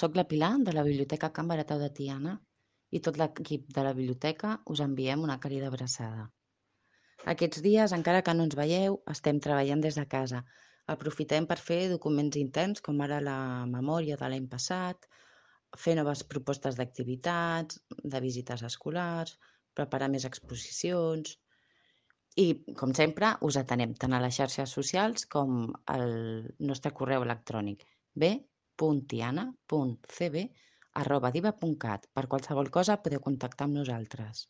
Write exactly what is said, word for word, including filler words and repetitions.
Soc la Pilar de la Biblioteca Can Baratau de Tiana i tot l'equip de la biblioteca us enviem una càlida abraçada. Aquests dies, encara que no ens veieu, estem treballant des de casa. Aprofitem per fer documents interns, com ara la memòria de l'any passat, fer noves propostes d'activitats, de visites escolars, preparar més exposicions. I, com sempre, us atenem tant a les xarxes socials com al nostre correu electrònic b punt tiana punt c b arroba diva punt cat. Per qualsevol cosa podeu contactar amb nosaltres.